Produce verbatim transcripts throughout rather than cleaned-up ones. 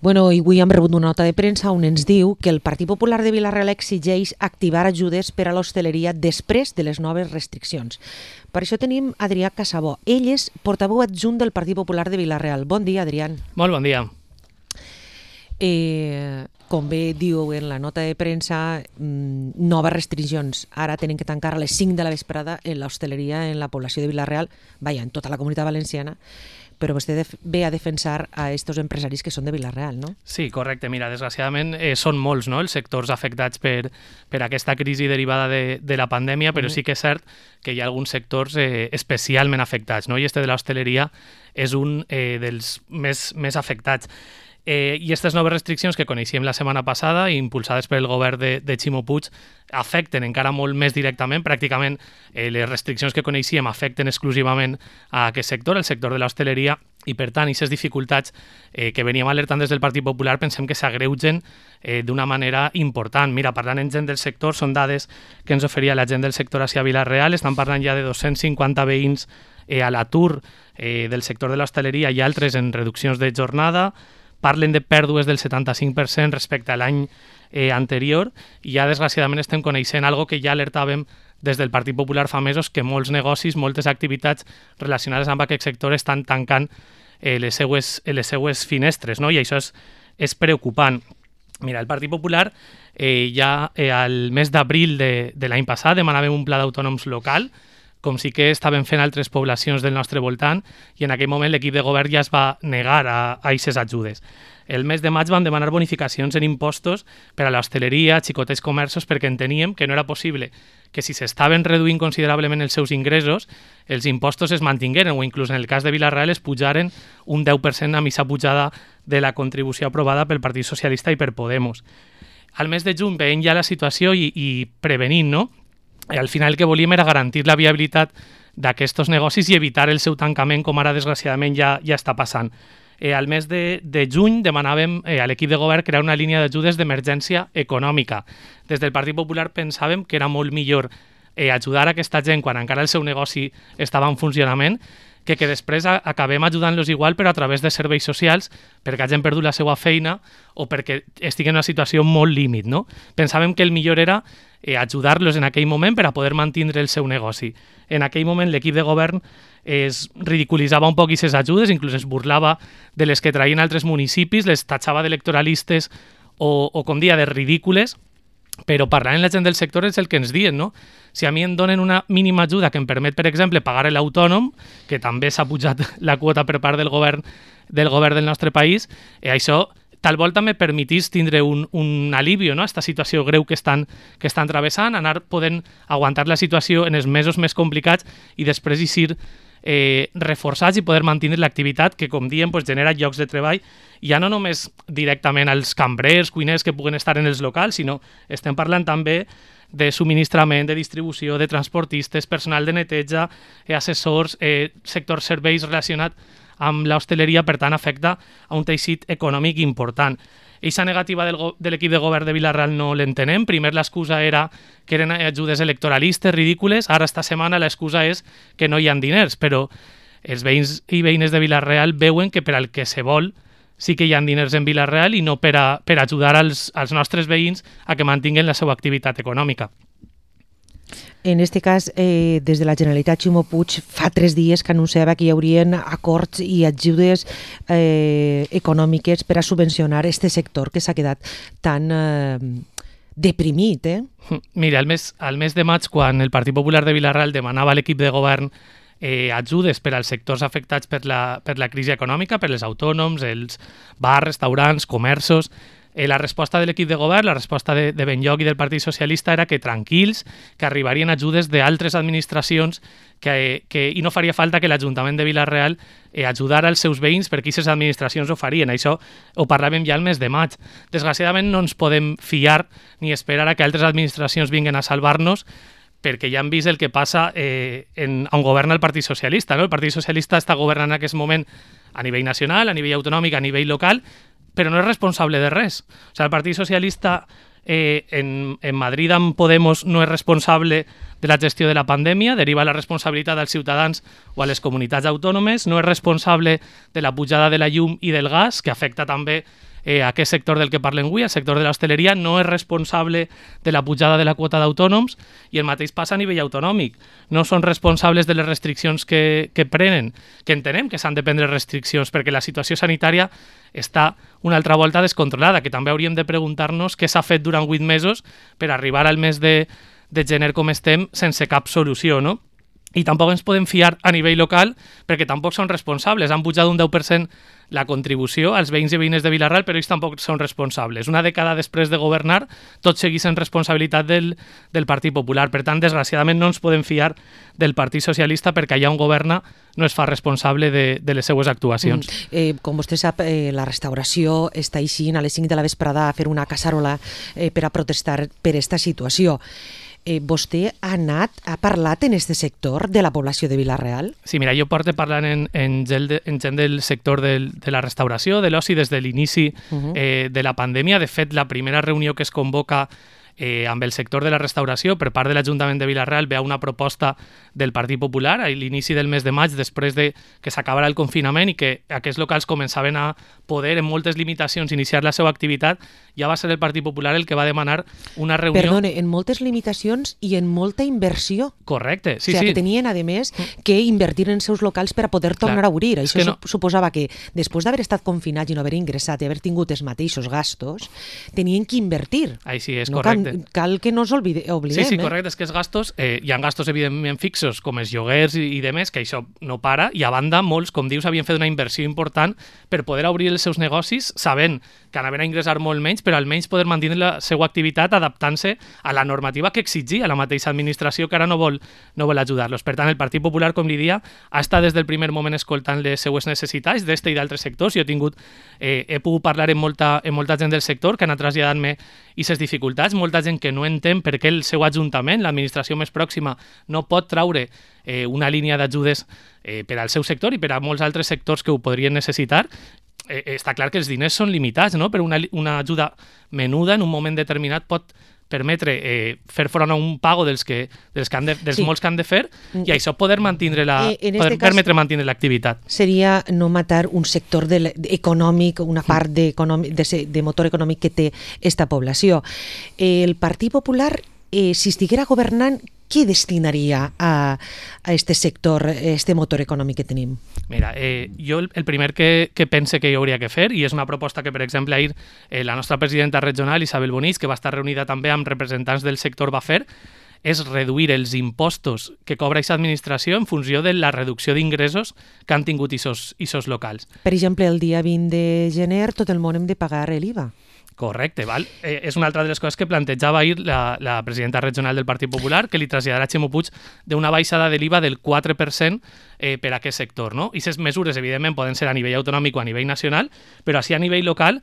Bueno, i avui hem rebut una nota de premsa on ens diu que el Partit Popular de Vila-real exigeix activar ajudes per a l'hostaleria després de les noves restriccions. Per això tenim Adrià Casabó. Ell és portaveu adjunt del Partit Popular de Vila-real. Bon dia, Adrià. Molt bon dia. Eh, com bé diu en la nota de premsa, mmm, noves restriccions. Ara tenen que tancar a les cinc de la vesprada en l'hostaleria en la població de Vila-real, vaja, en tota la comunitat valenciana, però vostè ve a defensar a estos empresaris que són de Vila-real, no? Sí, correcte. Mira, desgraciadament eh, són molts, no?, els sectors afectats per, per aquesta crisi derivada de, de la pandèmia, però mm. sí que és cert que hi ha alguns sectors eh, especialment afectats, no? I este de l'hostaleria és un eh, dels més, més afectats. Eh, I aquestes noves restriccions que coneixíem la setmana passada, impulsades pel govern de, de Ximo Puig, afecten encara molt més directament. Pràcticament eh, les restriccions que coneixíem afecten exclusivament a aquest sector, el sector de l'hostaleria, i per tant, aquestes dificultats eh, que veníem alertant des del Partit Popular pensem que s'agreugen eh, d'una manera important. Mira, parlant en gent del sector, són dades que ens oferia la gent del sector hacia Vila-real, estan parlant ja de dos-cents cinquanta veïns eh, a l'atur eh, del sector de l'hostaleria i altres en reduccions de jornada. Parlen de pèrdues del setanta-cinc per cent respecte a l'any eh, anterior i ja desgraciadament estem coneixent algo que ja alertàvem des del Partit Popular fa mesos, que molts negocis, moltes activitats relacionades amb aquest sector estan tancant eh, les, seues, les seues finestres, no? I això és, és preocupant. Mira, el Partit Popular eh, ja eh, al mes d'abril de, de l'any passat demanàvem un pla d'autònoms local, com sí que estaven fent altres poblacions del nostre voltant, i en aquell moment l'equip de govern ja es va negar a aquestes ajudes. El mes de maig van demanar bonificacions en impostos per a l'hostaleria, xicotets comerços, perquè enteníem que no era possible que si s'estaven reduint considerablement els seus ingressos, els impostos es mantingueren, o inclús en el cas de Vila-real es pujaren un deu per cent amb aquesta pujada de la contribució aprovada pel Partit Socialista i per Podemos. Al mes de juny veient ja la situació i, i prevenint, no? I al final el que volíem era garantir la viabilitat d'aquests negocis i evitar el seu tancament, com ara desgraciadament ja, ja està passant. Eh, al mes de, de juny demanàvem eh, a l'equip de govern crear una línia d'ajudes d'emergència econòmica. Des del Partit Popular pensàvem que era molt millor eh, ajudar a aquesta gent quan encara el seu negoci estava en funcionament, que que després acabem ajudant-los igual però a través de serveis socials perquè hagin perdut la seva feina o perquè estiguen en una situació molt límit, no? Pensàvem que el millor era eh, ajudar-los en aquell moment per a poder mantenir el seu negoci. En aquell moment l'equip de govern es ridiculitzava un poc aquestes ajudes, inclús es burlava de les que traien altres municipis, les tatxava d'electoralistes o, o com dia, de ridícules, però parlant amb la gent del sector és el que ens diuen, no? Si a mi em donen una mínima ajuda que em permet, per exemple, pagar l'autònom, que també s'ha pujat la quota per part del govern del govern del nostre país, eh, això tal volta me permetís tindre un, un alivio, no?, a aquesta situació greu que estan, que estan travessant, anar podent aguantar la situació en els mesos més complicats i després eixir eh, reforçats i poder mantenir l'activitat que, com diem, pues, genera llocs de treball, ja no només directament als cambrers, cuiners que puguen estar en els locals, sinó estem parlant també de subministrament, de distribució, de transportistes, personal de neteja, eh, assessors, eh, sector serveis relacionat amb l'hostaleria, per tant, afecta a un teixit econòmic important. Eixa negativa del de l'equip de govern de Vila-real no l'entenem. Primer l'excusa era que eren ajudes electoralistes ridícules, ara esta setmana l'excusa és que no hi ha diners, però els veïns i veïnes de Vila-real veuen que per al que se vol sí que hi ha diners en Vila-real i no per, a, per ajudar als, als nostres veïns a que mantinguen la seva activitat econòmica. En aquest cas, eh, des de la Generalitat, Ximo Puig fa tres dies que anunciava que hi haurien acords i ajudes eh, econòmiques per a subvencionar aquest sector que s'ha quedat tan eh, deprimit. Eh? Mira, al mes, al mes de maig, quan el Partit Popular de Vila-real demanava a l'equip de govern eh, ajudes per als sectors afectats per la, per la crisi econòmica, per els autònoms, els bars, restaurants, comerços, Eh, la resposta de l'equip de govern, la resposta de, de Benlloc i del Partit Socialista era que tranquils, que arribarien ajudes d'altres administracions que, que, i no faria falta que l'Ajuntament de Vila-real eh, ajudara als seus veïns perquè aquestes administracions ho farien. Això ho parlàvem ja el mes de maig. Desgraciadament no ens podem fiar ni esperar a que altres administracions vinguen a salvar-nos perquè ja hem vist el que passa eh, en, on governa el Partit Socialista. No? El Partit Socialista està governant en aquest moment a nivell nacional, a nivell autonòmic, a nivell local, però no és responsable de res. O sigui, el Partit Socialista eh, en, en Madrid amb Podemos no és responsable de la gestió de la pandèmia, deriva la responsabilitat als ciutadans o a les comunitats autònomes, no és responsable de la pujada de la llum i del gas, que afecta també eh, aquest sector del que parlem avui, el sector de l'hostaleria, no és responsable de la pujada de la quota d'autònoms i el mateix passa a nivell autonòmic. No són responsables de les restriccions que, que prenen, que entenem que s'han de prendre restriccions perquè la situació sanitària està una altra volta descontrolada, que també hauríem de preguntar-nos què s'ha fet durant vuit mesos per arribar al mes de, de gener com estem sense cap solució, no? I tampoc ens podem fiar a nivell local perquè tampoc són responsables. Han pujat un deu per cent la contribució als veïns i veïnes de Vila-real, però ells tampoc són responsables. Una dècada després de governar, tot segueix en responsabilitat del, del Partit Popular. Per tant, desgraciadament, no ens podem fiar del Partit Socialista perquè allà on governa no es fa responsable de, de les seues actuacions. Mm. Eh, com vostè sap, eh, la restauració està eixint a les cinc de la vesprada a fer una caçarola eh, per a protestar per aquesta situació. Eh, vostè ha anat, ha parlat en aquest sector de la població de Vila-real? Sí, mira, jo porto parlant en, en, gent, de, en gent del sector del, de la restauració, de l'oci, des de l'inici uh-huh. eh, de la pandèmia. De fet, la primera reunió que es convoca eh, amb el sector de la restauració per part de l'Ajuntament de Vila-real ve a una proposta del Partit Popular a l'inici del mes de maig, després de que s'acabara el confinament i que aquests locals començaven a poder, en moltes limitacions, iniciar la seva activitat. Ja va ser el Partit Popular el que va demanar una reunió... Perdone, en moltes limitacions i en molta inversió. Correcte, sí, o sigui, sí. que tenien, a més, que invertir en els seus locals per a poder tornar Clar, a obrir. Això no... suposava que, després d'haver estat confinats i no haver ingressat i haver tingut els mateixos gastos, tenien que invertir. Ai, sí, és no correcte. Cal, cal que no ens oblide, oblidem. Sí, sí, correcte. Eh? És que els gastos, eh, hi ha gastos, evidentment, fixos, com els lloguers i, i demés, que això no para, i a banda, molts, com dius, havien fet una inversió important per poder obrir els seus negocis, sabent que anaven a ingressar molt menys, però almenys poder mantenir la seva activitat adaptant-se a la normativa que exigia la mateixa administració, que ara no vol, no vol ajudar-los. Per tant, el Partit Popular, com li dia, ha estat des del primer moment escoltant les seues necessitats d'este i d'altres sectors. Jo he tingut, eh, he pogut parlar amb molta, amb molta gent del sector que ha anat traslladant-me aquestes dificultats, molta gent que no entén per què el seu ajuntament, l'administració més pròxima, no pot traure eh, una línia d'ajudes eh, per al seu sector i per a molts altres sectors que ho podrien necessitar. Eh, està clar que els diners són limitats, no? Però una, una ajuda menuda en un moment determinat pot permetre eh, fer front a un pago dels, que, dels, que han de, dels sí. molts que han de fer i això poder, mantenir la, eh, poder permetre mantenir l'activitat. Seria no matar un sector de, de, econòmic, una part de, de, de motor econòmic que té esta població. Eh, el Partit Popular, eh, si estiguera governant, què destinaria a, a este sector, a este motor econòmic que tenim? Mira, eh, jo el, el primer que, que pense que hi hauria que fer, i és una proposta que, per exemple, ahir eh, la nostra presidenta regional, Isabel Bonís, que va estar reunida també amb representants del sector, va fer, és reduir els impostos que cobra aquesta administració en funció de la reducció d'ingressos que han tingut aquests locals. Per exemple, el dia vint de gener tot el món hem de pagar l'I V A. Correcte, val? Eh, és una altra de les coses que plantejava ahir la, la presidenta regional del Partit Popular, que li traslladarà a Ximo Puig d'una baixada de l'I V A del quatre per cent eh, per a aquest sector, no? I aquestes mesures, evidentment, poden ser a nivell autonòmic o a nivell nacional, però així a nivell local,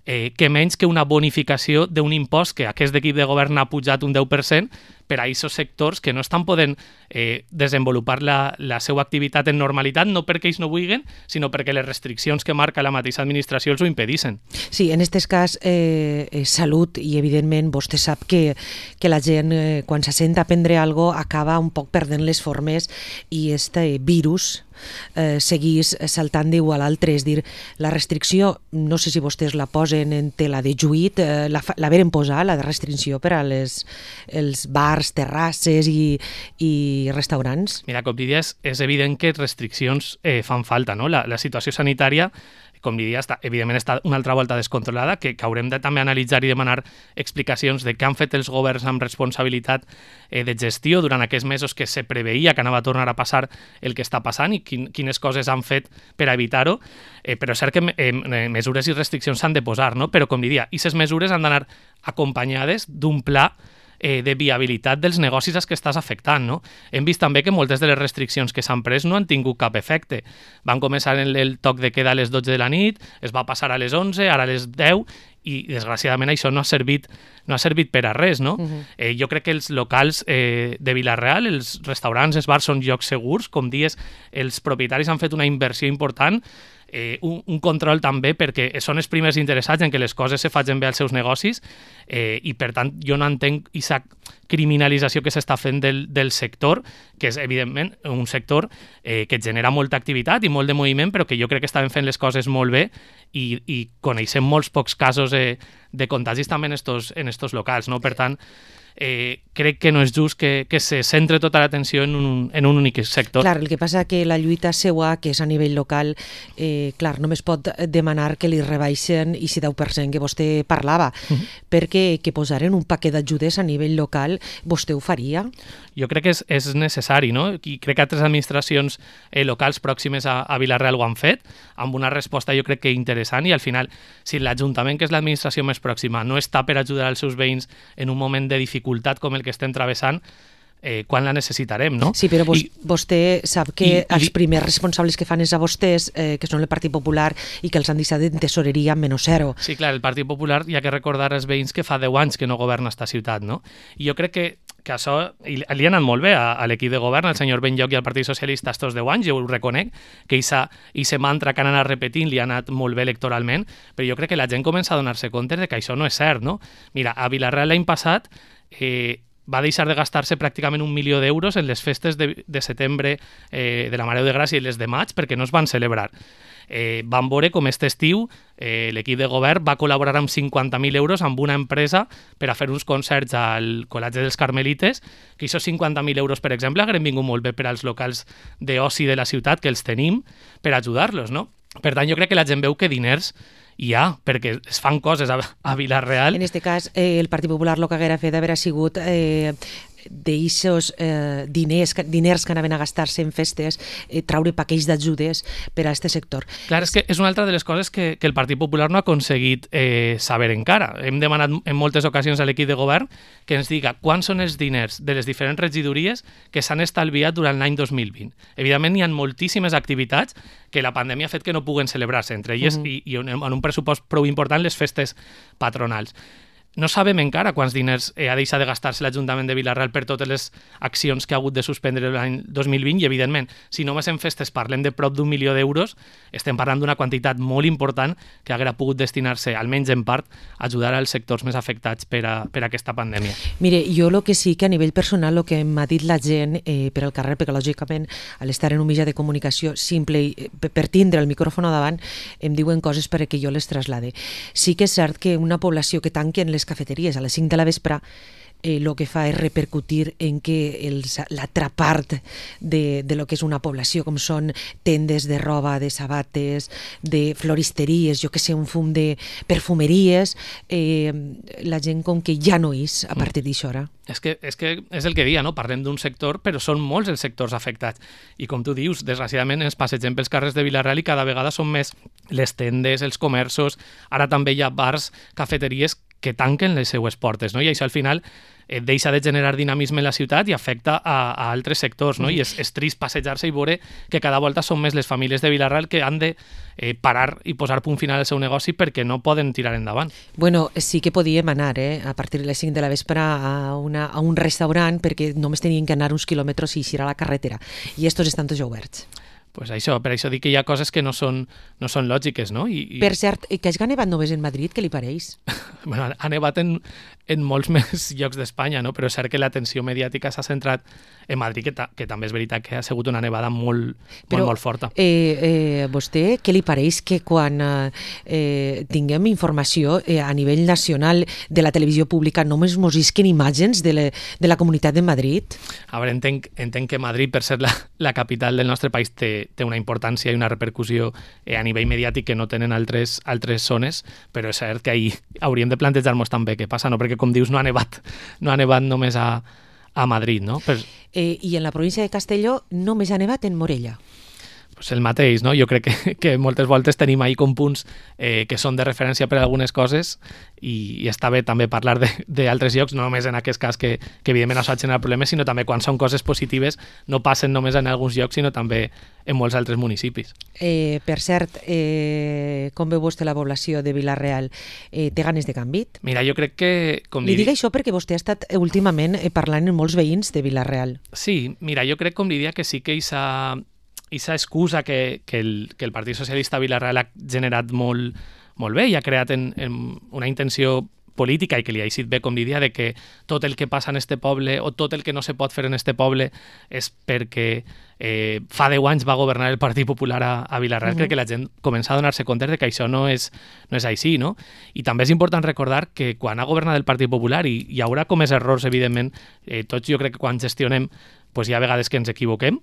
eh, que menys que una bonificació d'un impost que aquest equip de govern ha pujat un deu per cent per a aquests sectors que no estan podent eh, desenvolupar la, la seva activitat en normalitat, no perquè ells no vulguin, sinó perquè les restriccions que marca la mateixa administració els ho impedissin. Sí, en aquest cas, eh, eh, salut, i evidentment vostè sap que, que la gent, eh, quan se sent a prendre alguna cosa, acaba un poc perdent les formes i este virus eh, seguís saltant d'igual a l'altre. És dir, la restricció, no sé si vostès la posen en tela de juït, eh, la, la veren posar, la restricció per a les, els bars, terrasses i, i restaurants? Mira, com diries, és evident que restriccions eh, fan falta, no? La, la situació sanitària, com diria, està, evidentment està una altra volta descontrolada, que, que haurem de també analitzar i demanar explicacions de què han fet els governs amb responsabilitat eh, de gestió durant aquests mesos que se preveia que anava a tornar a passar el que està passant i quin, quines coses han fet per a evitar-ho, eh, però és cert que eh, mesures i restriccions s'han de posar, no? Però com diria, aquestes mesures han d'anar acompanyades d'un pla Eh, de viabilitat dels negocis als que estàs afectant, no? Hem vist també que moltes de les restriccions que s'han pres no han tingut cap efecte. Van començar el, el toc de queda a les dotze de la nit, es va passar a les onze, ara a les deu, i desgraciadament això no ha servit, no ha servit per a res, no? Uh-huh. eh, jo crec que els locals eh, de Vila-real, els restaurants, els bars són llocs segurs, com dies, els propietaris han fet una inversió important, eh, un, un control també perquè són els primers interessats en que les coses se facin bé als seus negocis eh, i per tant jo no entenc aquesta criminalització que s'està fent del, del sector, que és evidentment un sector eh, que genera molta activitat i molt de moviment, però que jo crec que estaven fent les coses molt bé i, i coneixem molts pocs casos eh, de contagis també en estos, en estos locals, no? Per tant, Eh, crec que no és just que, que se centre tota l'atenció en, un, en un únic sector. Clar, el que passa que la lluita seua, que és a nivell local, eh, clar, només pot demanar que li rebaixen i si deu per cent que vostè parlava, uh -huh. perquè que posaren un paquet d'ajudes a nivell local, vostè ho faria? Jo crec que és, és necessari, no? I crec que altres administracions eh, locals pròximes a, a Vila-real ho han fet, amb una resposta jo crec que interessant, i al final, si l'Ajuntament, que és l'administració més pròxima, no està per ajudar els seus veïns en un moment de dificultat com el que estem travessant, eh, quan la necessitarem, no? Sí, però vos, I, vostè sap que i, els i, primers responsables que fan és a vostès, eh, que són el Partit Popular, i que els han deixat en tesoreria menys zero. Sí, clar, el Partit Popular hi ha que recordar als veïns que fa deu anys que no governa esta ciutat, no? I jo crec que que això li ha anat molt bé a, a l'equip de govern, al senyor Benlloch i al Partit Socialista estos deu anys, jo ho reconec, que aquest mantra que han anat repetint li ha anat molt bé electoralment, però jo crec que la gent comença a donar-se compte de que això no és cert, no? Mira, a Vila-real l'any passat eh, va deixar de gastar-se pràcticament un milió d'euros en les festes de, de setembre eh, de la Mare de Gràcia i les de maig perquè no es van celebrar. Eh, vam veure com aquest estiu eh, l'equip de govern va col·laborar amb cinquanta mil euros amb una empresa per a fer uns concerts al Col·legi dels Carmelites, que aquests cinquanta mil euros, per exemple, hagueren vingut molt bé per als locals d'oci de la ciutat, que els tenim, per ajudar-los, no? Per tant, jo crec que la gent veu que diners hi ha, perquè es fan coses a, a Vila-real. En aquest cas, eh, el Partit Popular el que haguera fet haver sigut eh, d'eixos eh, diners, diners que anaven a gastar-se en festes, eh, traure paquets d'ajudes per a aquest sector. Clar, és que és una altra de les coses que, que el Partit Popular no ha aconseguit eh, saber encara. Hem demanat en moltes ocasions a l'equip de govern que ens diga quants són els diners de les diferents regidories que s'han estalviat durant l'any dos mil vint. Evidentment, hi ha moltíssimes activitats que la pandèmia ha fet que no puguen celebrar-se, entre elles, uh -huh. i, i en un pressupost prou important, les festes patronals. No sabem encara quants diners eh, ha deixat de gastar-se l'Ajuntament de Vila-real per totes les accions que ha hagut de suspendre l'any dos mil vint i, evidentment, si només en festes parlem de prop d'un milió d'euros, estem parlant d'una quantitat molt important que haguera pogut destinar-se, almenys en part, a ajudar als sectors més afectats per, a, per a aquesta pandèmia. Mire, jo el que sí que a nivell personal, el que m'ha dit la gent eh, per al carrer, perquè lògicament a l'estar en un mitjà de comunicació simple i per tindre el micròfon davant, em diuen coses perquè jo les traslade. Sí que és cert que una població que tanquen les cafeteries a les cinc de la vespre, eh, lo que fa és repercutir en que els, l'altra part de, de lo que és una població, com són tendes de roba, de sabates, de floristeries, jo que sé, un fum de perfumeries, eh, la gent com que ja no és a partir d'això hora. És que, és que és el que dia, no? Parlem d'un sector, però són molts els sectors afectats. I com tu dius, desgraciadament ens passegem pels carrers de Vila-real i cada vegada són més les tendes, els comerços, ara també hi ha bars, cafeteries que tanquen les seues portes, no? I això al final eh, deixa de generar dinamisme en la ciutat i afecta a, a altres sectors, no? I és, és trist passejar-se i veure que cada volta són més les famílies de Vila-real que han de eh, parar i posar punt final al seu negoci perquè no poden tirar endavant. Bueno, sí que podíem anar eh, a partir de les cinc de la vespre a, una, a un restaurant perquè només tenien que anar uns quilòmetres i eixir a la carretera. I estos estan tots oberts. Pues això, per això dic que hi ha coses que no són, no són lògiques, no? I, i... Per cert, que hagi nevat només en Madrid, què li pareix? Bueno, ha nevat en, en molts més llocs d'Espanya, no? Però és cert que l'atenció mediàtica s'ha centrat en Madrid, que, ta, que també és veritat que ha sigut una nevada molt, Però, molt, molt forta. Eh, eh, vostè, què li pareix que quan eh, tinguem informació eh, a nivell nacional de la televisió pública només mos isquen imatges de, le, de la Comunitat de Madrid? A veure, entenc, entenc que Madrid, per ser la, la capital del nostre país, té, té una importància i una repercussió eh, a nivell mediàtic que no tenen altres, altres zones, però és cert que ahir hauríem de plantejar-nos també què passa, no? Perquè, com dius, no ha nevat, no ha nevat només a, a Madrid, no? Però... Eh, I en la província de Castelló només ha nevat en Morella. Pues el mateix, no? Jo crec que, que moltes voltes tenim ahir com punts eh, que són de referència per a algunes coses i, i està bé també parlar d'altres llocs, no només en aquest cas que, que evidentment això ha generat problemes, sinó també quan són coses positives no passen només en alguns llocs, sinó també en molts altres municipis. Eh, per cert, eh, com veu vostè la població de Vila-real? Eh, té ganes de canvi? Mira, jo crec que... Com li dic això perquè vostè ha estat últimament parlant amb molts veïns de Vila-real. Sí, mira, jo crec, com li diria, que sí que aquesta aquesta excusa que, que, el, que el Partit Socialista a Vila-real ha generat molt, molt bé i ha creat en, en una intenció política i que li ha eixit bé, com diria, de que tot el que passa en este poble o tot el que no se pot fer en este poble és perquè eh, fa deu anys va governar el Partit Popular a, a Vila-real. Uh-huh. Crec que la gent comença a donar-se compte de que això no és, no és així, no? I també és important recordar que quan ha governat el Partit Popular, i hi haurà comès errors, evidentment, eh, tots jo crec que quan gestionem pues hi ha vegades que ens equivoquem,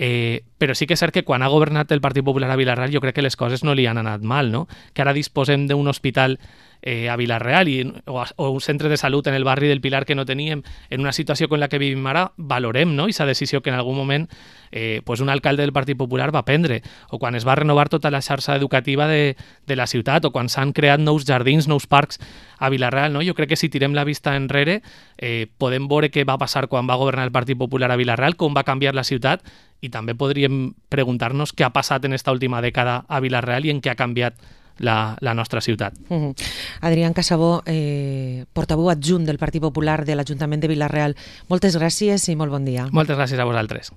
Eh, però sí que és cert que quan ha governat el Partit Popular a Vila-real jo crec que les coses no li han anat mal, no? Que ara disposem d'un hospital eh, a Vila-real i, o, o un centre de salut en el barri del Pilar que no teníem, en una situació com la que vivim ara, valorem, no? Aquesta decisió que en algun moment eh, pues un alcalde del Partit Popular va prendre, o quan es va renovar tota la xarxa educativa de, de la ciutat, o quan s'han creat nous jardins, nous parcs a Vila-real, no? Jo crec que si tirem la vista enrere eh, podem veure què va passar quan va governar el Partit Popular a Vila-real, com va canviar la ciutat, i també podríem preguntar-nos què ha passat en esta última dècada a Vila-real i en què ha canviat la, la nostra ciutat. Uh-huh. Adrián Casabó, eh, portaveu adjunt del Partit Popular de l'Ajuntament de Vila-real, moltes gràcies i molt bon dia. Moltes gràcies a vosaltres.